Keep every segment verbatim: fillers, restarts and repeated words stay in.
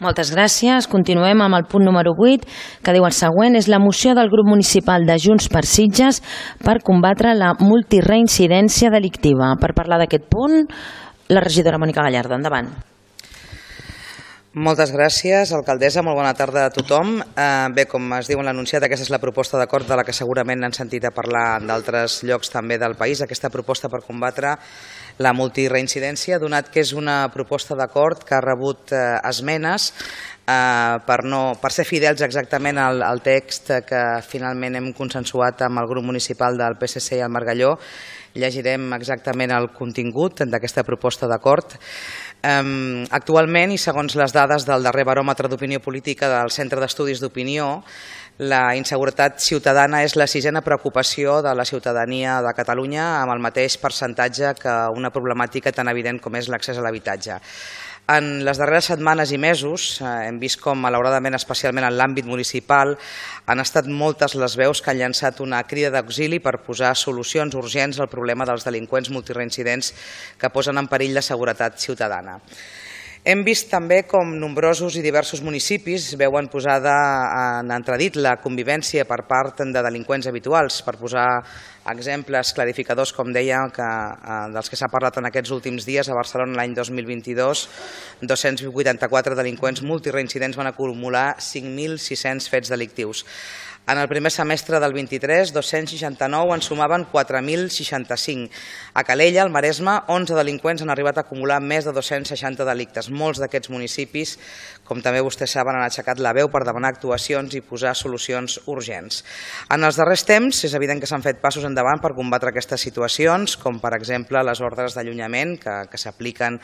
Moltes gràcies. Continuem amb el punt número vuit, que diu el següent. És la moció del grup municipal de Junts per Sitges per combatre la multireincidència delictiva. Per parlar d'aquest punt, la regidora Mònica Gallardo. Endavant. Moltes gràcies, alcaldessa. Molt bona tarda a tothom. Bé, com es diu en l'anunciat, aquesta és la proposta d'acord de la que segurament han sentit a parlar d'altres llocs també del país. Aquesta proposta per combatre la multireincidència, donat que és una proposta d'acord que ha rebut esmenes per, no, per ser fidels exactament al, al text que finalment hem consensuat amb el grup municipal del P S C i el Margalló. Llegirem exactament el contingut d'aquesta proposta d'acord. Um, actualment, i segons les dades del darrer baròmetre d'opinió política del Centre d'Estudis d'Opinió, la inseguretat ciutadana és la sisena preocupació de la ciutadania de Catalunya, amb el mateix percentatge que una problemàtica tan evident com és l'accés a l'habitatge. En les darreres setmanes i mesos hem vist com, malauradament, especialment en l'àmbit municipal, han estat moltes les veus que han llançat una crida d'auxili per posar solucions urgents al problema dels delinqüents multireincidents que posen en perill la seguretat ciutadana. Hem vist també com nombrosos i diversos municipis veuen posada en entredit la convivència per part de delinqüents habituals. Per posar exemples clarificadors, com deia, que, dels que s'ha parlat en aquests últims dies, a Barcelona l'any dos mil vint-i-dos, dos-cents vuitanta-quatre delinqüents multireincidents van acumular cinc mil sis-cents fets delictius. En el primer semestre del vint-i-tres, dos-cents seixanta-nou en sumaven quatre mil seixanta-cinc. A Calella, al Maresme, onze delinqüents han arribat a acumular més de dos-cents seixanta delictes. Molts d'aquests municipis, com també vostès saben, han aixecat la veu per demanar actuacions i posar solucions urgents. En els darrers temps és evident que s'han fet passos endavant per combatre aquestes situacions, com per exemple les ordres d'allunyament que, que s'apliquen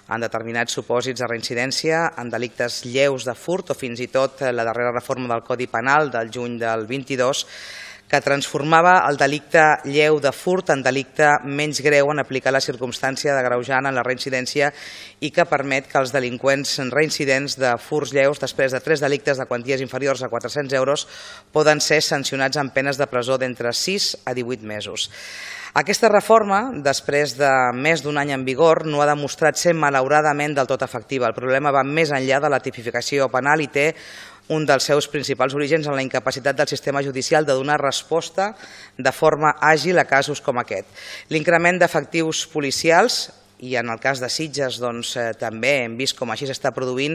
en determinats supòsits de reincidència, en delictes lleus de furt o fins i tot la darrera reforma del Codi Penal del juny del vint-i-dos, que transformava el delicte lleu de furt en delicte menys greu en aplicar la circumstància d'agreujant en la reincidència i que permet que els delinqüents reincidents de furts lleus, després de tres delictes de quanties inferiors a quatre-cents euros, poden ser sancionats amb penes de presó d'entre sis a divuit mesos. Aquesta reforma, després de més d'un any en vigor, no ha demostrat ser malauradament del tot efectiva. El problema va més enllà de la tipificació penal i té un dels seus principals orígens en la incapacitat del sistema judicial de donar resposta de forma àgil a casos com aquest. L'increment d'efectius policials, i en el cas de Sitges doncs, eh, també hem vist com així s'està produint,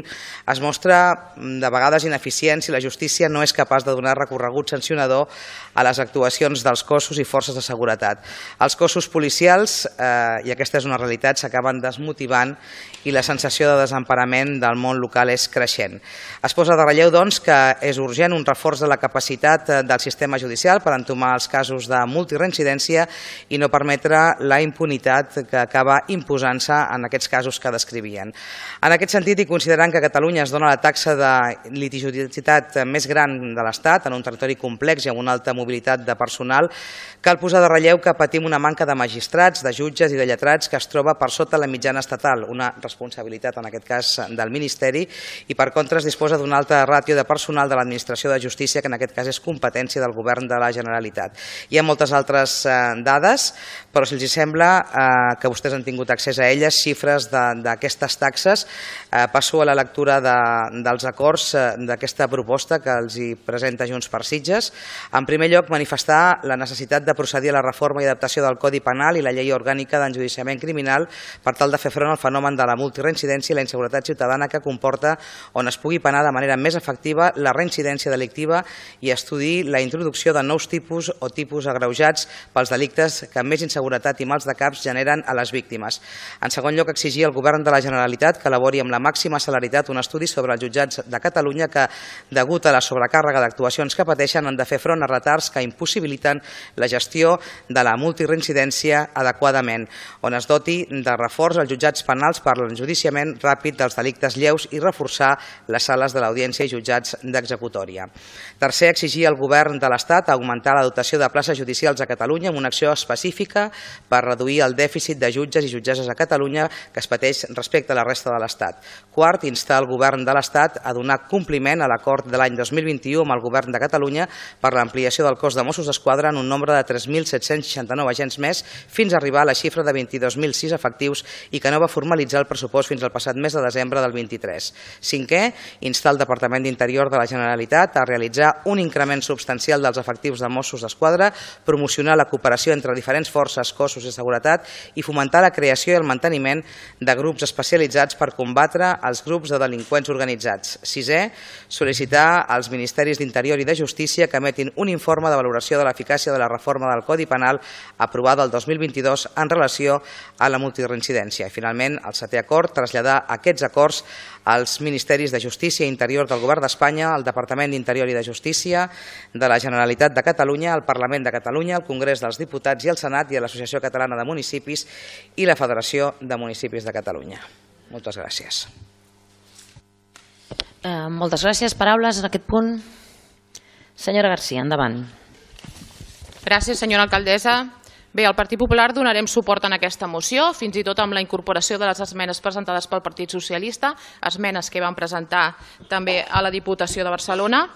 es mostra de vegades ineficient si la justícia no és capaç de donar recorregut sancionador a les actuacions dels cossos i forces de seguretat. Els cossos policials, eh, i aquesta és una realitat, s'acaben desmotivant i la sensació de desemparament del món local és creixent. Es posa de relleu doncs, que és urgent un reforç de la capacitat del sistema judicial per entomar els casos de multireincidència i no permetre la impunitat que acaba imposant-se en aquests casos que descrivien. En aquest sentit, i considerant que a Catalunya es dona la taxa de litigiositat més gran de l'Estat, en un territori complex i amb una alta mobilitat de personal, cal posar de relleu que patim una manca de magistrats, de jutges i de lletrats que es troba per sota la mitjana estatal, una responsabilitat en aquest cas del Ministeri, i per contra es disposa d'una alta ràtio de personal de l'Administració de Justícia, que en aquest cas és competència del Govern de la Generalitat. Hi ha moltes altres dades, però si els sembla que vostès han tingut accés a elles, xifres d'aquestes taxes, passo a la lectura dels acords d'aquesta proposta que els hi presenta Junts per Sitges. En primer lloc, manifestar la necessitat de procedir a la reforma i adaptació del Codi Penal i la Llei Orgànica d'Enjudiciament Criminal per tal de fer front al fenomen de la multireincidència i la inseguretat ciutadana que comporta on es pugui penar de manera més efectiva la reincidència delictiva i estudiar la introducció de nous tipus o tipus agreujats pels delictes que més inseguretat i mals de caps generen a les víctimes. En segon lloc, exigir al Govern de la Generalitat que elabori amb la màxima celeritat un estudi sobre els jutjats de Catalunya que, degut a la sobrecàrrega d'actuacions que pateixen, han de fer front a retards que impossibiliten la gestió de la multireincidència adequadament, on es doti de reforç als jutjats penals per l'enjudiciament ràpid dels delictes lleus i reforçar les sales de l'audiència i jutjats d'executòria. Tercer, exigir al Govern de l'Estat augmentar la dotació de places judicials a Catalunya amb una acció específica per reduir el dèficit de jutges i jutgesses empreses a Catalunya que es pateix respecte a la resta de l'Estat. Quart, instar el Govern de l'Estat a donar compliment a l'acord de l'any dos mil vint-i-u amb el Govern de Catalunya per l'ampliació del cos de Mossos d'Esquadra en un nombre de tres mil set-cents seixanta-nou agents més fins a arribar a la xifra de vint-i-dos mil sis efectius i que no va formalitzar el pressupost fins al passat mes de desembre del vint-i-tres. Cinquè, instar el Departament d'Interior de la Generalitat a realitzar un increment substancial dels efectius de Mossos d'Esquadra, promocionar la cooperació entre diferents forces, cossos de seguretat i fomentar la creació i el manteniment de grups especialitzats per combatre els grups de delinqüents organitzats. Sisè, sol·licitar als Ministeris d'Interior i de Justícia que emetin un informe de valoració de l'eficàcia de la reforma del Codi Penal aprovada el dos mil vint-i-dos en relació a la multireincidència. I finalment, el setè acord, traslladar aquests acords als Ministeris de Justícia i Interior del Govern d'Espanya, al Departament d'Interior i de Justícia de la Generalitat de Catalunya, al Parlament de Catalunya, al Congrés dels Diputats i al Senat i a l'Associació Catalana de Municipis i la Federació de Municipis de Catalunya. Moltes gràcies. Eh, moltes gràcies. Paraules en aquest punt. Senyora García, endavant. Gràcies, senyora alcaldessa. Bé, al Partit Popular donarem suport en aquesta moció, fins i tot amb la incorporació de les esmenes presentades pel Partit Socialista, esmenes que van presentar també a la Diputació de Barcelona.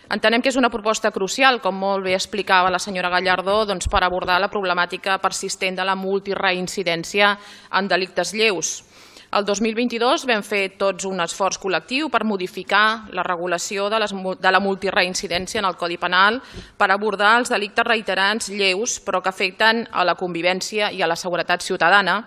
Entenem que és una proposta crucial, com molt bé explicava la senyora Gallardó, doncs, per abordar la problemàtica persistent de la multireincidència en delictes lleus. El dos mil vint-i-dos vam fer tots un esforç col·lectiu per modificar la regulació de, les, de la multireincidència en el Codi Penal per abordar els delictes reiterants lleus però que afecten a la convivència i a la seguretat ciutadana.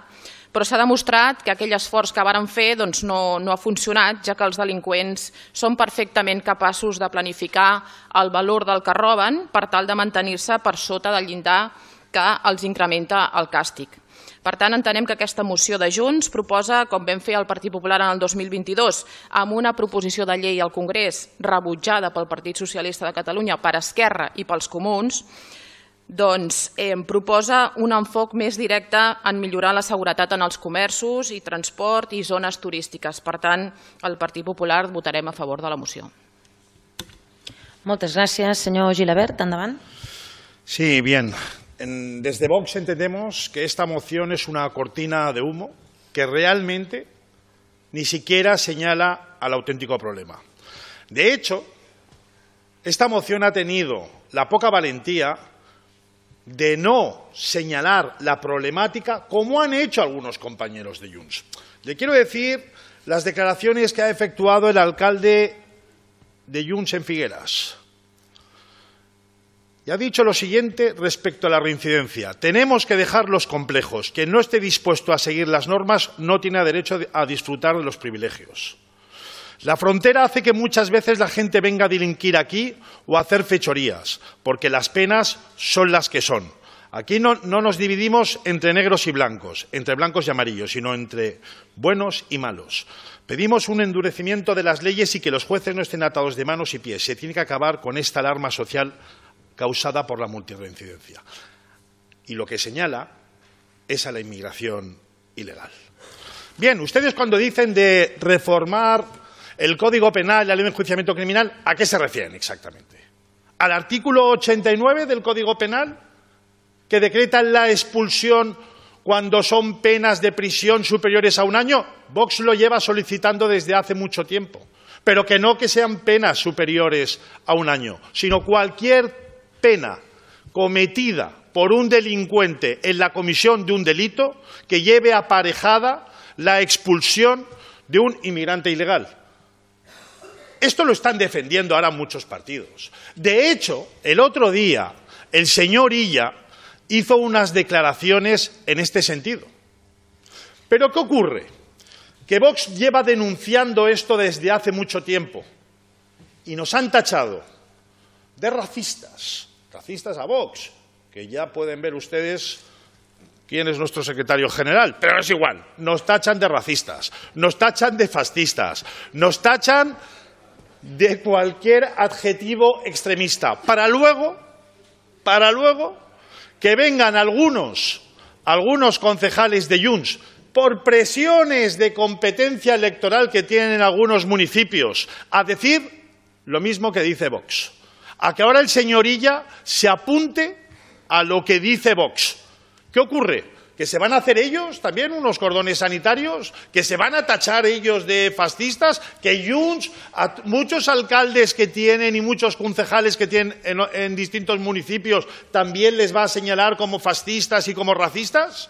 Però s'ha demostrat que aquell esforç que varen fer doncs, no, no ha funcionat, ja que els delinqüents són perfectament capaços de planificar el valor del que roben per tal de mantenir-se per sota del llindar que els incrementa el càstig. Per tant, entenem que aquesta moció de Junts proposa, com vam fer el Partit Popular en el dos mil vint-i-dos, amb una proposició de llei al Congrés rebutjada pel Partit Socialista de Catalunya, per Esquerra i pels Comuns, doncs eh, proposa un enfoc més directe en millorar la seguretat en els comerços i transport i zones turístiques. Per tant, el Partit Popular votarem a favor de la moció. Moltes gràcies. Senyor Gilabert, endavant. Sí, bien. Desde Vox entendemos que esta moción es una cortina de humo que realmente ni siquiera señala al auténtico problema. De hecho, esta moción ha tenido la poca valentía de no señalar la problemática como han hecho algunos compañeros de Junts. Le quiero decir las declaraciones que ha efectuado el alcalde de Junts en Figueras. Y ha dicho lo siguiente respecto a la reincidencia. Tenemos que dejar los complejos. Quien no esté dispuesto a seguir las normas no tiene derecho a disfrutar de los privilegios. La frontera hace que muchas veces la gente venga a delinquir aquí o a hacer fechorías, porque las penas son las que son. Aquí no, no nos dividimos entre negros y blancos, entre blancos y amarillos, sino entre buenos y malos. Pedimos un endurecimiento de las leyes y que los jueces no estén atados de manos y pies. Se tiene que acabar con esta alarma social causada por la multirreincidencia. Y lo que señala es a la inmigración ilegal. Bien, ustedes cuando dicen de reformar el Código Penal y la Ley de Enjuiciamiento Criminal, ¿a qué se refieren exactamente? ¿Al artículo ochenta y nueve del Código Penal, que decreta la expulsión cuando son penas de prisión superiores a un año? Vox lo lleva solicitando desde hace mucho tiempo, pero que no que sean penas superiores a un año, sino cualquier pena cometida por un delincuente en la comisión de un delito que lleve aparejada la expulsión de un inmigrante ilegal. Esto lo están defendiendo ahora muchos partidos. De hecho, el otro día el señor Illa hizo unas declaraciones en este sentido. ¿Pero qué ocurre? Que Vox lleva denunciando esto desde hace mucho tiempo y nos han tachado de racistas. Racistas a Vox, que ya pueden ver ustedes quién es nuestro secretario general, pero es igual, nos tachan de racistas, nos tachan de fascistas, nos tachan de cualquier adjetivo extremista, para luego, para luego que vengan algunos, algunos concejales de Junts, por presiones de competencia electoral que tienen en algunos municipios, a decir lo mismo que dice Vox. A que ahora el señor Illa se apunte a lo que dice Vox. ¿Qué ocurre? Que ¿Que se van a hacer ellos también unos cordones sanitarios? ¿Que se van a tachar ellos de fascistas? ¿Que Junts, a muchos alcaldes que tienen y muchos concejales que tienen en, en distintos municipios también les va a señalar como fascistas y como racistas?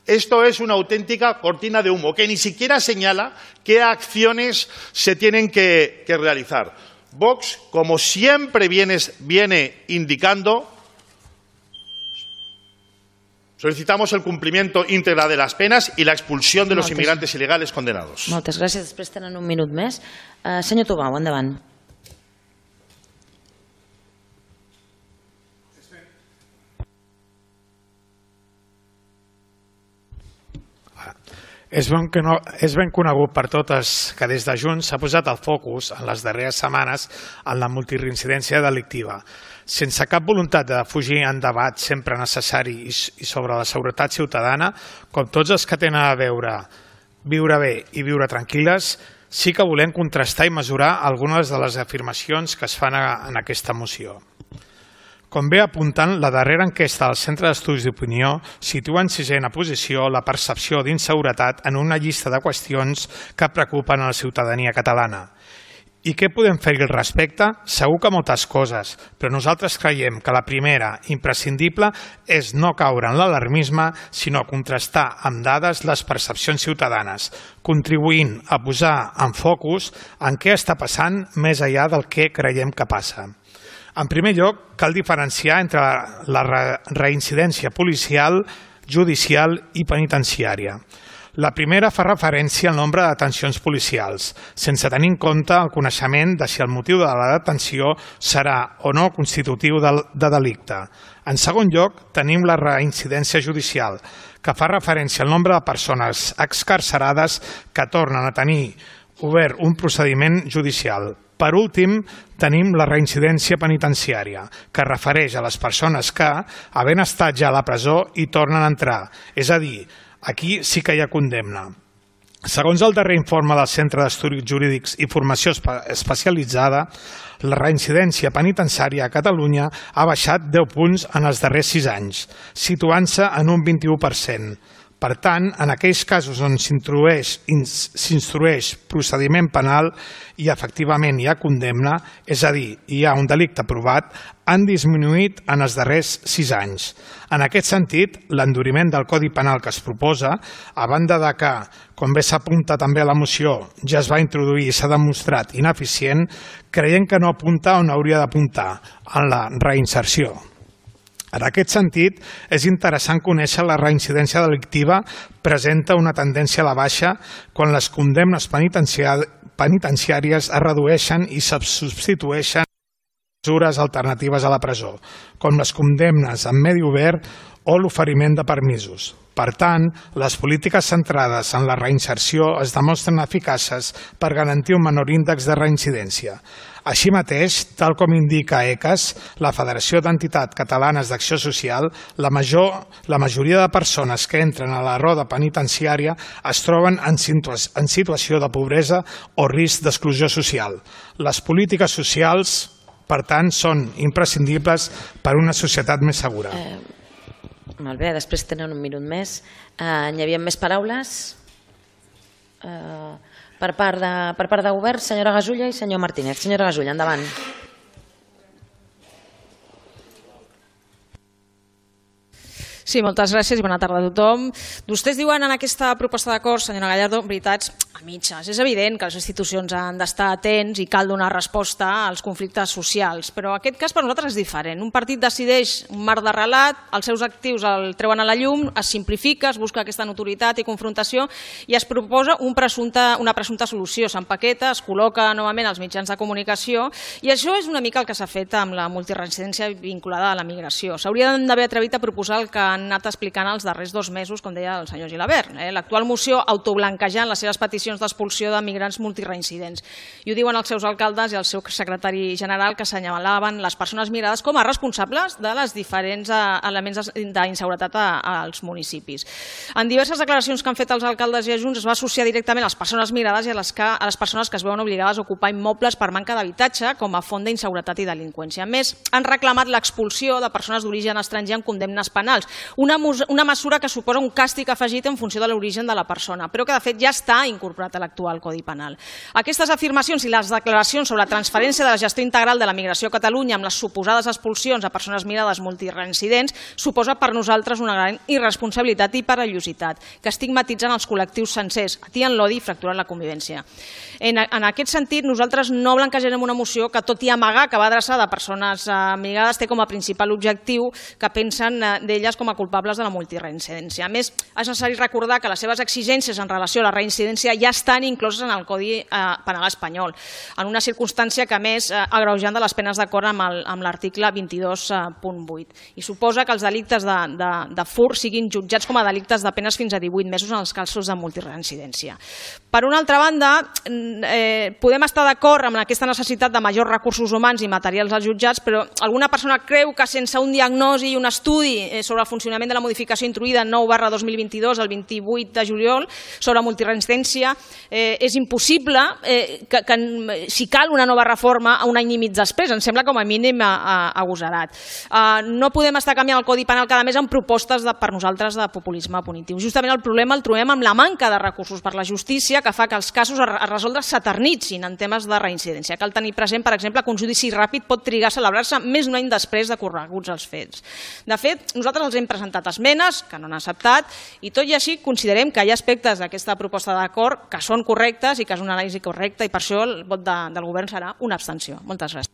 Esto es una auténtica cortina de humo que ni siquiera señala qué acciones se tienen que, que realizar. Vox, como siempre viene, viene indicando, solicitamos el cumplimiento íntegre de las penas y la expulsión de los Moltes. inmigrantes ilegales condenados. Moltes gràcies. Després tenen un minut més. Uh, senyor Tobau, endavant. És ben, que no, és ben conegut per totes que des de Junts s'ha posat el focus en les darreres setmanes en la multireincidència delictiva. Sense cap voluntat de fugir en debat sempre necessari i sobre la seguretat ciutadana, com tots els que tenen a veure viure bé i viure tranquil·les, sí que volem contrastar i mesurar algunes de les afirmacions que es fan en aquesta moció. Com bé apunten, la darrera enquesta del Centre d'Estudis d'Opinió situa en sisena posició la percepció d'inseguretat en una llista de qüestions que preocupen a la ciutadania catalana. I què podem fer-hi al respecte? Segur que moltes coses, però nosaltres creiem que la primera, imprescindible, és no caure en l'alarmisme, sinó contrastar amb dades les percepcions ciutadanes, contribuint a posar en focus en què està passant més enllà del que creiem que passa. En primer lloc, cal diferenciar entre la reincidència policial, judicial i penitenciària. La primera fa referència al nombre de detencions policials, sense tenir en compte el coneixement de si el motiu de la detenció serà o no constitutiu de delicte. En segon lloc, tenim la reincidència judicial, que fa referència al nombre de persones excarcerades que tornen a tenir obert un procediment judicial. Per últim, tenim la reincidència penitenciària, que es refereix a les persones que, havent estat ja a la presó, hi tornen a entrar. És a dir, aquí sí que hi ha condemna. Segons el darrer informe del Centre d'Estudis Jurídics i Formació Especialitzada, la reincidència penitenciària a Catalunya ha baixat deu punts en els darrers sis anys, situant-se en un vint-i-u per cent. Per tant, en aquells casos on s'instrueix procediment penal i efectivament hi ha condemna, és a dir, hi ha un delicte provat, han disminuït en els darrers sis anys. En aquest sentit, l'enduriment del Codi Penal que es proposa, a banda de que, com bé s'apunta també a la moció, ja es va introduir i s'ha demostrat ineficient, creiem que no apunta on hauria d'apuntar, en la reinserció. En aquest sentit, és interessant conèixer la reincidència delictiva presenta una tendència a la baixa quan les condemnes penitenciàries es redueixen i se substitueixen mesures alternatives a la presó, com les condemnes en medi obert o l'oferiment de permisos. Per tant, les polítiques centrades en la reinserció es demostren eficaces per garantir un menor índex de reincidència. Així mateix, tal com indica E C A S, la Federació d'Entitats Catalanes d'Acció Social, la, major, la majoria de persones que entren a la roda penitenciària es troben en, situa en situació de pobresa o risc d'exclusió social. Les polítiques socials, per tant, són imprescindibles per a una societat més segura. Eh, molt bé, després tenen un minut més. Eh, hi havia més paraules? Eh, per part de, per part de govern, senyora Gasulla i senyor Martínez. Senyora Gasulla, endavant. Sí, moltes gràcies i bona tarda a tothom. Vostès diuen en aquesta proposta d'acord, senyora Gallardo, veritats a mitges. És evident que les institucions han d'estar atents i cal donar resposta als conflictes socials, però aquest cas per nosaltres és diferent. Un partit decideix un marc de relat, els seus actius el treuen a la llum, es simplifica, es busca aquesta notorietat i confrontació i es proposa un presumpte, una presumpta solució. S'empaqueta, es col·loca novament als mitjans de comunicació i això és una mica el que s'ha fet amb la multireincidència vinculada a la migració. S'haurien d'haver atrevit a proposar el que han anat explicant els darrers dos mesos, com deia el senyor Gilabert. Eh? L'actual moció autoblanquejant les seves peticions d'expulsió de migrants multireincidents. I ho diuen els seus alcaldes i el seu secretari general, que assenyalaven les persones migrades com a responsables de les diferents elements d'inseguretat als municipis. En diverses declaracions que han fet els alcaldes i adjunts es va associar directament a les persones migrades i a les, que, a les persones que es veuen obligades a ocupar immobles per manca d'habitatge com a font d'inseguretat i delinqüència. A més, han reclamat l'expulsió de persones d'origen estranger amb condemnes penals, una, una mesura que suposa un càstig afegit en funció de l'origen de la persona, però que de fet ja està incorporat a l'actual Codi Penal. Aquestes afirmacions i les declaracions sobre la transferència de la gestió integral de la migració a Catalunya amb les suposades expulsions a persones migrades multireincidents suposa per nosaltres una gran irresponsabilitat i perillositat, que estigmatitzen els col·lectius sencers, atien l'odi i fracturen la convivència. En, en aquest sentit, nosaltres no blanquejarem una moció que, tot i amagar que va adreçada a persones eh, migrades, té com a principal objectiu que pensen eh, d'elles com a culpables de la multireincidència. A més, és necessari recordar que les seves exigències en relació a la reincidència ja estan incloses en el Codi eh, Penal espanyol, en una circumstància que, a més, eh, agreujant de les penes d'acord amb l'article vint-i-dos punt vuit. I suposa que els delictes de, de, de furt siguin jutjats com a delictes de penes fins a divuit mesos en els casos de multireincidència. Per una altra banda, eh, podem estar d'acord amb aquesta necessitat de majors recursos humans i materials als jutjats, però alguna persona creu que sense un diagnosi i un estudi sobre el funcionament de la modificació introduïda nou barra dos mil vint-i-dos el vint-i-vuit de juliol sobre multireincidència eh, és impossible eh, que, que si cal una nova reforma a un any i mig després. Em sembla com a mínim agosarat. Uh, no podem estar canviant el Codi Penal cada mes amb propostes de, per nosaltres de populisme punitiu. Justament el problema el trobem amb la manca de recursos per la justícia, que fa que els casos a resoldre s'eternitzin en temes de reincidència. Cal tenir present, per exemple, que un judici ràpid pot trigar a celebrar-se més d'un any després de correguts els fets. De fet, nosaltres els hem presentat esmenes que no han acceptat i tot i així considerem que hi ha aspectes d'aquesta proposta d'acord que són correctes i que és una anàlisi correcta i per això el vot de, del govern serà una abstenció. Moltes gràcies.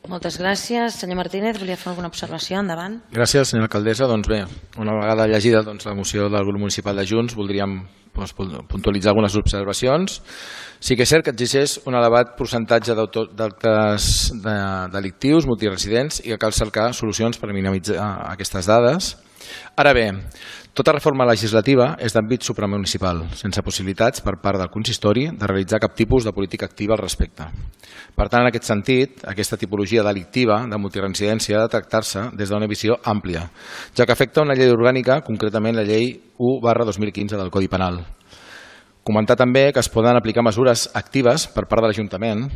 Moltes gràcies. Senyor Martínez, volia fer alguna observació? Endavant. Gràcies, senyora alcaldessa. Doncs bé, una vegada llegida doncs, la moció del grup municipal de Junts, voldríem doncs, puntualitzar algunes observacions. Sí que és cert que exigeix un elevat percentatge d'actes de, delictius, multiresidents, i que cal cercar solucions per minimitzar aquestes dades. Ara bé, tota reforma legislativa és d'àmbit supramunicipal, sense possibilitats per part del consistori de realitzar cap tipus de política activa al respecte. Per tant, en aquest sentit, aquesta tipologia delictiva de multireincidència ha de tractar-se des d'una visió àmplia, ja que afecta una llei orgànica, concretament la llei u barra dos mil quinze del Codi Penal. Comentar també que es poden aplicar mesures actives per part de l'Ajuntament,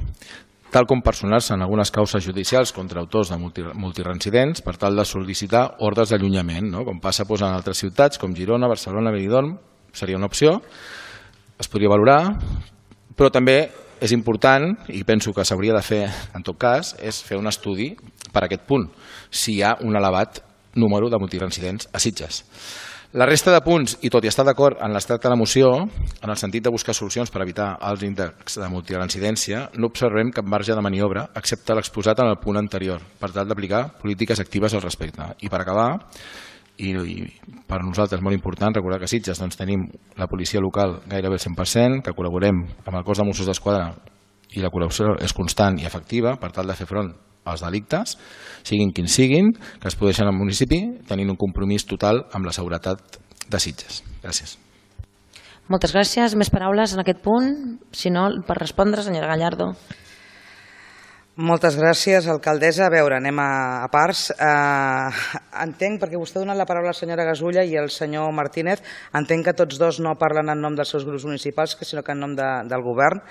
tal com personar-se en algunes causes judicials contra autors de multireincidents per tal de sol·licitar ordres d'allunyament, no? Com passa doncs, en altres ciutats com Girona, Barcelona, Benidorm, seria una opció, es podria valorar, però també és important, i penso que s'hauria de fer en tot cas, és fer un estudi per a aquest punt, si hi ha un elevat número de multireincidents a Sitges. La resta de punts, i tot i estar d'acord en l'estat de la moció, en el sentit de buscar solucions per evitar els índexs de multireincidència, no observem cap marge de maniobra, excepte l'exposat en el punt anterior, per tal d'aplicar polítiques actives al respecte. I per acabar, i, i per nosaltres molt important, recordar que a Sitges doncs, tenim la policia local gairebé el cent per cent, que col·laborem amb el cos de Mossos d'Esquadra i la col·laboració és constant i efectiva per tal de fer front als delictes, siguin quins siguin, que es produeixen al municipi, tenint un compromís total amb la seguretat de Sitges. Gràcies. Moltes gràcies. Més paraules en aquest punt? Si no, per respondre, senyora Gallardo. Moltes gràcies, alcaldessa. A veure, anem a, a parts. Eh, entenc, perquè vostè ha donat la paraula a la senyora Gasulla i el senyor Martínez, entenc que tots dos no parlen en nom dels seus grups municipals, sinó que en nom de, del govern.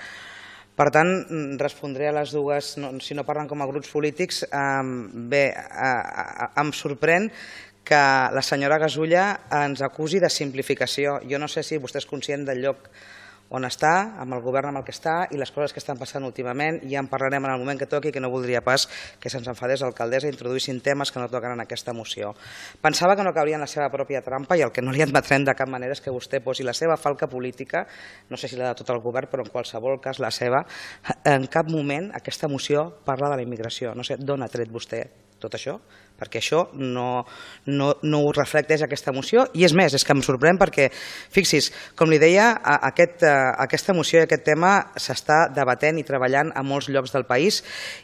Per tant, respondré a les dues, no, si no parlen com a grups polítics. Eh, bé, eh, em sorprèn que la senyora Gasulla ens acusi de simplificació. Jo no sé si vostè és conscient del lloc on està, amb el govern amb el que està i les coses que estan passant últimament. Ja en parlarem en el moment que toqui, que no voldria pas que se'ns enfadés l'alcaldessa i introduïssin temes que no toquen en aquesta moció. Pensava que no cauria en la seva pròpia trampa i el que no li admetrem de cap manera és que vostè posi la seva falca política, no sé si la de tot el govern, però en qualsevol cas la seva. En cap moment aquesta moció parla de la immigració. No sé d'on ha tret vostè tot això, perquè això no, no, no ho reflecteix aquesta moció, i és més, és que em sorprèn perquè, fixis, com li deia, aquest, aquesta moció i aquest tema s'està debatent i treballant a molts llocs del país,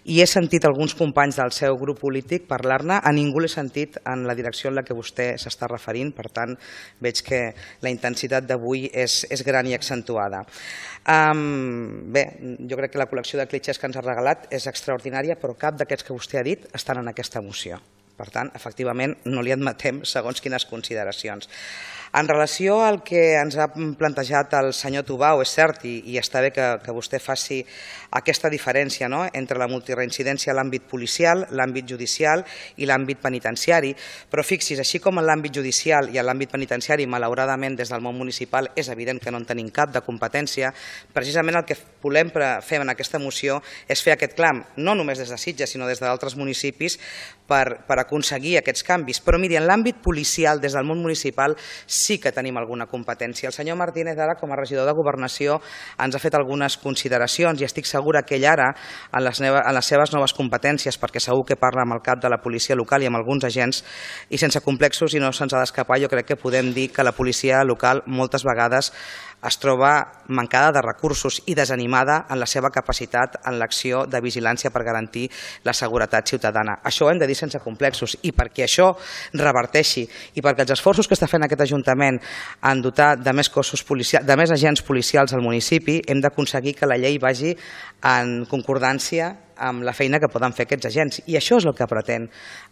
i he sentit alguns companys del seu grup polític parlar-ne, a ningú l'he sentit en la direcció en la que vostè s'està referint, per tant, veig que la intensitat d'avui és, és gran i accentuada. Um, bé, jo crec que la col·lecció de clitxers que ens ha regalat és extraordinària, però cap d'aquests que vostè ha dit estan en aquesta moció. Per tant, efectivament, no li admetem segons quines consideracions. En relació al que ens ha plantejat el senyor Tubau, és cert, i, i està bé que, que vostè faci aquesta diferència, no?, entre la multireincidència a l'àmbit policial, l'àmbit judicial i l'àmbit penitenciari, però fixis, així com en l'àmbit judicial i en l'àmbit penitenciari, malauradament des del món municipal és evident que no en tenim cap de competència, precisament el que volem fer en aquesta moció és fer aquest clam, no només des de Sitges, sinó des d'altres municipis, per, per aconseguir aquests canvis. Però miri, en l'àmbit policial, des del món municipal, sí que tenim alguna competència. El senyor Martínez ara, com a regidor de Governació, ens ha fet algunes consideracions i estic segura que ell ara, en les, en les seves noves competències, perquè segur que parla amb el cap de la policia local i amb alguns agents, i sense complexos i no se'ns ha d'escapar, jo crec que podem dir que la policia local moltes vegades es troba mancada de recursos i desanimada en la seva capacitat en l'acció de vigilància per garantir la seguretat ciutadana. Això ho hem de dir sense complexos, i perquè això reverteixi i perquè els esforços que està fent aquest Ajuntament en dotar de més cossos policials, de més agents policials al municipi, hem d'aconseguir que la llei vagi en concordància amb la feina que poden fer aquests agents. I això és el que pretén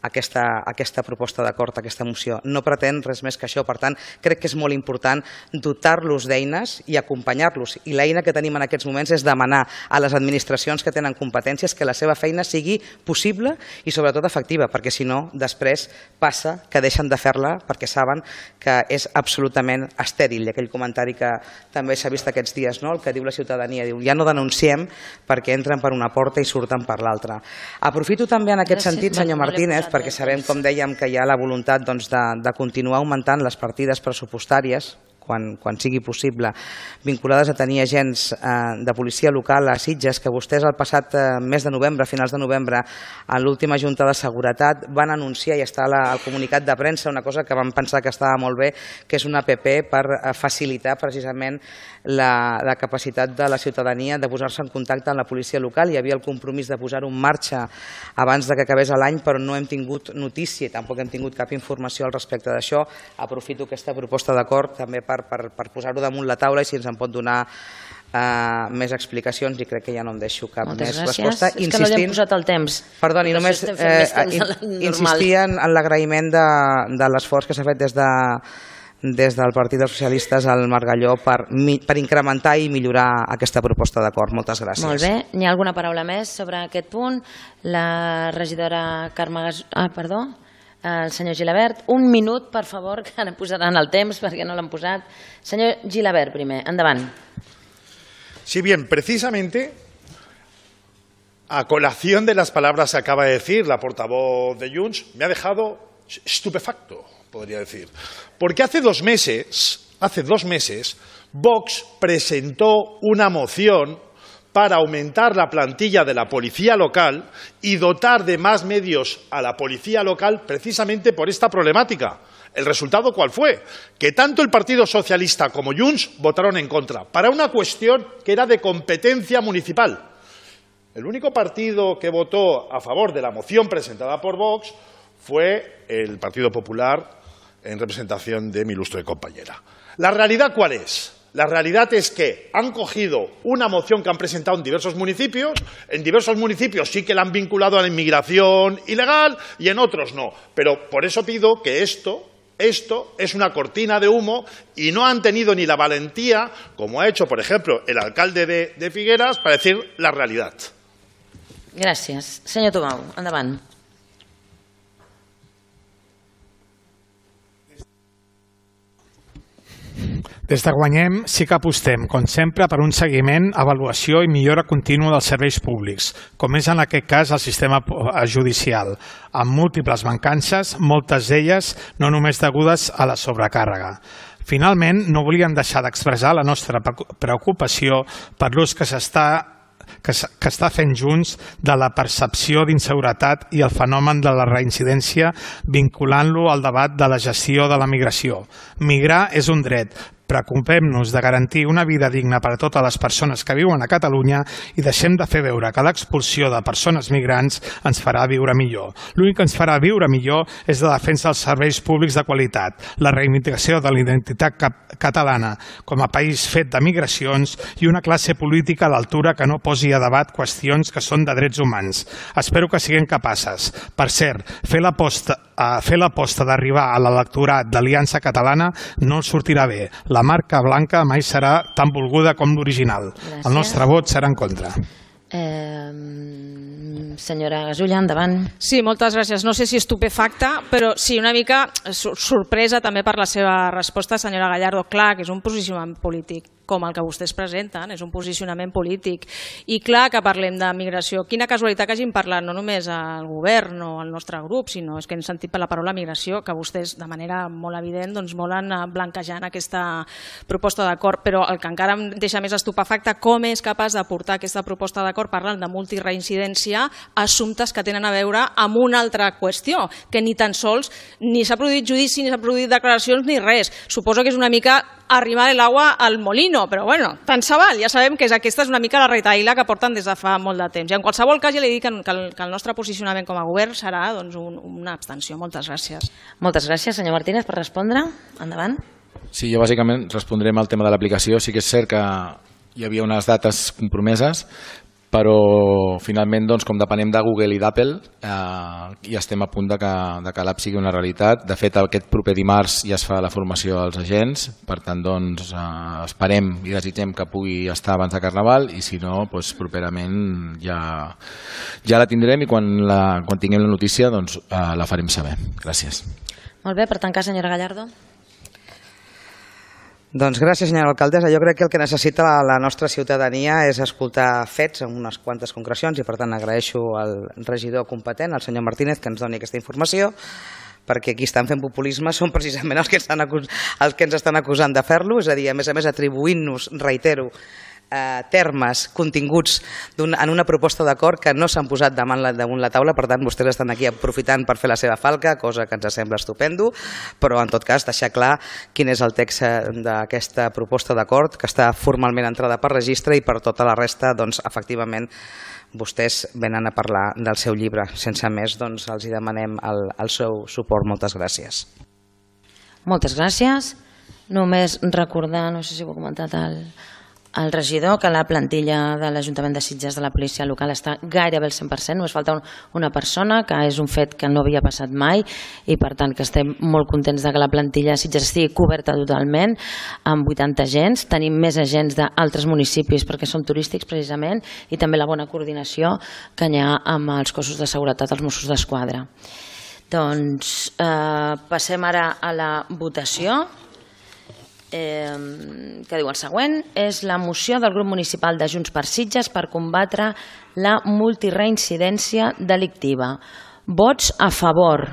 aquesta, aquesta proposta d'acord, aquesta moció. No pretén res més que això. Per tant, crec que és molt important dotar-los d'eines i acompanyar-los. I l'eina que tenim en aquests moments és demanar a les administracions que tenen competències que la seva feina sigui possible i sobretot efectiva, perquè si no, després passa que deixen de fer-la perquè saben que és absolutament estèril. I aquell comentari que també s'ha vist aquests dies, no?, el que diu la ciutadania, diu ja no denunciem perquè entren per una porta i surten per l'altra. Aprofito també en aquest sentit, senyor Martínez, perquè sabem, com dèiem, que hi ha la voluntat de, de continuar augmentant les partides pressupostàries quan, quan sigui possible, vinculades a tenir agents eh, de policia local a Sitges, que vostès el passat eh, mes de novembre, finals de novembre, en l'última Junta de Seguretat, van anunciar, i està la, el comunicat de premsa, una cosa que vam pensar que estava molt bé, que és una app per eh, facilitar precisament la, la capacitat de la ciutadania de posar-se en contacte amb la policia local. Hi havia el compromís de posar-ho en marxa abans de que acabés l'any, però no hem tingut notícia i tampoc hem tingut cap informació al respecte d'això. Aprofito aquesta proposta d'acord també per, per, per posar-ho damunt la taula i si ens en pot donar Uh, més explicacions, i crec que ja no em deixo cap Moltes més gràcies. resposta. És que no li hem posat el temps. Perdoni, només eh, insistia en, en l'agraïment de, de l'esforç que s'ha fet des de des del Partit dels Socialistes al Margalló per, per incrementar i millorar aquesta proposta d'acord. Moltes gràcies. Molt bé. N'hi ha alguna paraula més sobre aquest punt? La regidora Carme Gas... Ah, perdó. El senyor Gilabert. Un minut, per favor, que ara posaran el temps perquè no l'han posat. Senyor Gilabert, primer. Endavant. Sí, bien, precisamente a colación de las palabras que acaba de decir la portavoz de Junts, me ha dejado estupefacto, podría decir. Porque hace dos meses, hace dos meses, Vox presentó una moción para aumentar la plantilla de la policía local y dotar de más medios a la policía local precisamente por esta problemática. ¿El resultado cuál fue? Que tanto el Partido Socialista como Junts votaron en contra, para una cuestión que era de competencia municipal. El único partido que votó a favor de la moción presentada por Vox fue el Partido Popular, en representación de mi ilustre compañera. ¿La realidad cuál es? La realidad es que han cogido una moción que han presentado en diversos municipios, en diversos municipios sí que la han vinculado a la inmigración ilegal y en otros no. Pero por eso pido que esto... Esto es una cortina de humo y no han tenido ni la valentía, como ha hecho, por ejemplo, el alcalde de, de Figueras, para decir la realidad. Gràcies. Senyor Tubau, endavant. Des de Guanyem sí que apostem, com sempre, per un seguiment, avaluació i millora contínua dels serveis públics, com és en aquest cas el sistema judicial, amb múltiples mancances, moltes d'elles no només degudes a la sobrecàrrega. Finalment, no volíem deixar d'expressar la nostra preocupació per l'ús que s'està que, que està fent Junts de la percepció d'inseguretat i el fenomen de la reincidència vinculant-lo al debat de la gestió de la migració. Migrar és un dret. Preocupem-nos de garantir una vida digna per a totes les persones que viuen a Catalunya i deixem de fer veure que l'expulsió de persones migrants ens farà viure millor. L'únic que ens farà viure millor és la defensa dels serveis públics de qualitat, la reivindicació de la identitat catalana com a país fet de migracions i una classe política a l'altura que no posi a debat qüestions que són de drets humans. Espero que siguem capaces. Per cert, fer l'aposta fer l'aposta d'arribar a l'electorat d'Aliança Catalana no els sortirà bé. La marca blanca mai serà tan volguda com l'original. El nostre vot serà en contra. Eh, senyora Gasulla, endavant. Sí, moltes gràcies. No sé si estupefacta, però sí, una mica sorpresa també per la seva resposta, senyora Gallardo. Clar que és un posicionament polític, com el que vostès presenten, és un posicionament polític. I clar que parlem de migració. Quina casualitat que hagin parlat no només al govern o al nostre grup, sinó és que hem sentit per la paraula migració, que vostès de manera molt evident doncs, volen blanquejar aquesta proposta d'acord. Però el que encara em deixa més estupefacte, com és capaç de portar aquesta proposta d'acord parlant de multireincidència a assumptes que tenen a veure amb una altra qüestió, que ni tan sols ni s'ha produït judici, ni s'ha produït declaracions, ni res. Suposo que és una mica arrimar l'aigua al molino, però bueno, tant se val, ja sabem que aquesta és una mica la retaïla que porten des de fa molt de temps. I en qualsevol cas ja li dic que el, que el nostre posicionament com a govern serà doncs, un, una abstenció. Moltes gràcies. Moltes gràcies, senyor Martínez, per respondre. Endavant. Sí, jo bàsicament respondrem al tema de l'aplicació. Sí que és cert que hi havia unes dates compromeses, però finalment, doncs, com depenem de Google i d'Apple, eh, ja estem a punt de que, de que l'app sigui una realitat. De fet, aquest proper dimarts ja es fa la formació als agents, per tant, doncs, eh, esperem i desitgem que pugui estar abans de Carnaval, i si no, doncs, properament ja, ja la tindrem, i quan, la, quan tinguem la notícia doncs, eh, la farem saber. Gràcies. Molt bé, per tancar, senyora Gallardo. Doncs gràcies, senyora alcaldessa. Jo crec que el que necessita la, la nostra ciutadania és escoltar fets en unes quantes concrecions, i per tant agraeixo al regidor competent, al senyor Martínez, que ens doni aquesta informació, perquè qui estan fent populisme són precisament els que, estan acus els que ens estan acusant de fer-lo, és a dir, a més a més atribuint-nos, reitero, eh, termes, continguts en una proposta d'acord que no s'han posat damunt la, damunt la taula. Per tant, vostès estan aquí aprofitant per fer la seva falca, cosa que ens sembla estupendo, però en tot cas deixar clar quin és el text d'aquesta proposta d'acord, que està formalment entrada per registre, i per tota la resta, doncs, efectivament, vostès venen a parlar del seu llibre. Sense més, doncs, els hi demanem el, el seu suport. Moltes gràcies. Moltes gràcies. Només recordar, no sé si ho ha comentat el, el regidor, que la plantilla de l'Ajuntament de Sitges de la policia local està gairebé al cent per cent, només falta un, una persona, que és un fet que no havia passat mai, i per tant que estem molt contents de que la plantilla de Sitges estigui coberta totalment, amb vuitanta agents. Tenim més agents d'altres municipis perquè són turístics precisament, i també la bona coordinació que hi ha amb els cossos de seguretat, els Mossos d'Esquadra. Doncs eh, passem ara a la votació. Eh, que diu el següent: és la moció del grup municipal de Junts per Sitges per combatre la multireincidència delictiva. Vots a favor.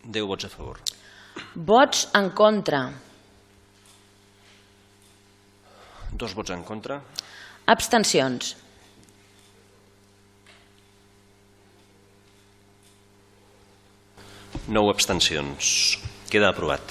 deu vots a favor. Vots en contra. Dos vots en contra. Abstencions. Nou abstencions. Queda aprovat.